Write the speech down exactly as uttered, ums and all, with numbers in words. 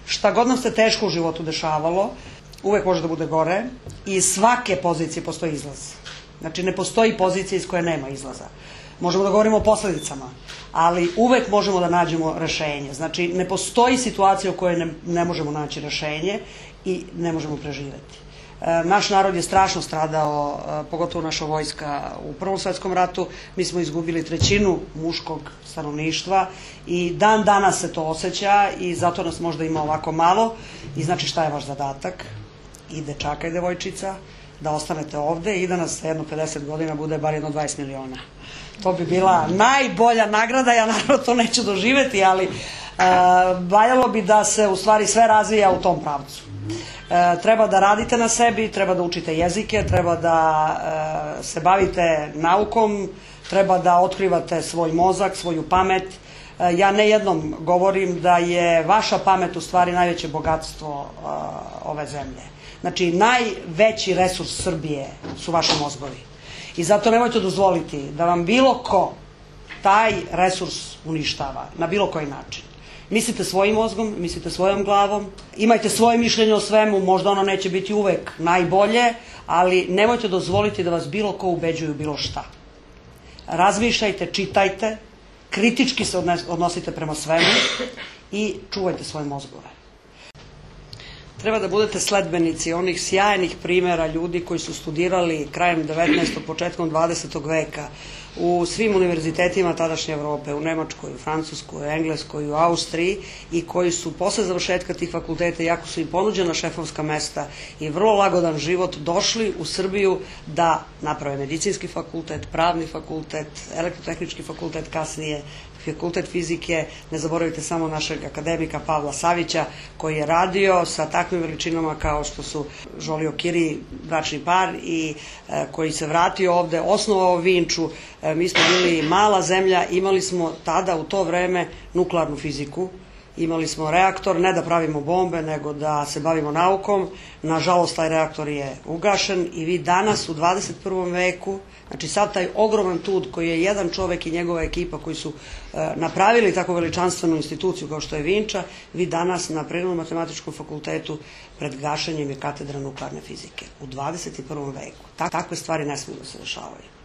šta god nam se teško u životu dešavalo, uvek može da bude gore i iz svake pozicije postoji izlaz. Znači, ne postoji pozicija iz koje nema izlaza. Možemo da govorimo o posledicama, ali uvek možemo da nađemo rešenje. Znači, ne postoji situacija u kojoj ne, ne možemo naći rešenje i ne možemo preživeti. Naš narod je strašno stradao, pogotovo naša vojska u Prvom svetskom ratu. Mi smo izgubili trećinu muškog stanovništva i dan danas se to osjeća i zato nas možda ima ovako malo. I znači šta je vaš zadatak? I dečaka i devojčica, da ostanete ovde i da nas jedno pedeset godina bude bar jedno dvadeset miliona. To bi bila najbolja nagrada, ja naravno to neću doživeti, ali valjalo bi da se u stvari sve razvija u tom pravcu. Treba da radite na sebi, treba da učite jezike, treba da se bavite naukom, treba da otkrivate svoj mozak, svoju pamet. Ja ne jednom govorim da je vaša pamet u stvari najveće bogatstvo ove zemlje. Znači, najveći resurs Srbije su vaši mozgovi. I zato nemojte dozvoliti da vam bilo ko taj resurs uništava, na bilo koji način. Mislite svojim mozgom, mislite svojom glavom, imajte svoje mišljenje o svemu, možda ono neće biti uvek najbolje, ali nemojte dozvoliti da vas bilo ko ubeđuju bilo šta. Razmišljajte, čitajte, kritički se odnosite prema svemu i čuvajte svoje mozgove. Treba da budete sledbenici onih sjajnih primera ljudi koji su studirali krajem devetnaestog. početkom dvadesetog veka u svim univerzitetima tadašnje Evrope, u Nemačkoj, u Francuskoj, u Engleskoj, u Austriji i koji su posle završetka tih fakulteta, iako su im ponuđena šefovska mesta i vrlo lagodan život, došli u Srbiju da naprave medicinski fakultet, pravni fakultet, elektrotehnički fakultet kasnije, fakultet fizike. Ne zaboravite samo našeg akademika Pavla Savića koji je radio sa takvim veličinama kao što su Žolio Kiri, bračni par, i koji se vratio ovde, osnovao Vinču. Mi smo bili mala zemlja, imali smo tada u to vreme nuklearnu fiziku, imali smo reaktor, ne da pravimo bombe, nego da se bavimo naukom. Nažalost, taj reaktor je ugašen i vi danas u dvadeset prvom veku, znači sad taj ogroman trud koji je jedan čovek i njegova ekipa koji su napravili tako veličanstvenu instituciju kao što je Vinča, vi danas na Prirodnom matematičkom fakultetu pred gašenjem je katedra nuklearne fizike u dvadeset prvom veku. Takve stvari ne smiju da se dešavaju.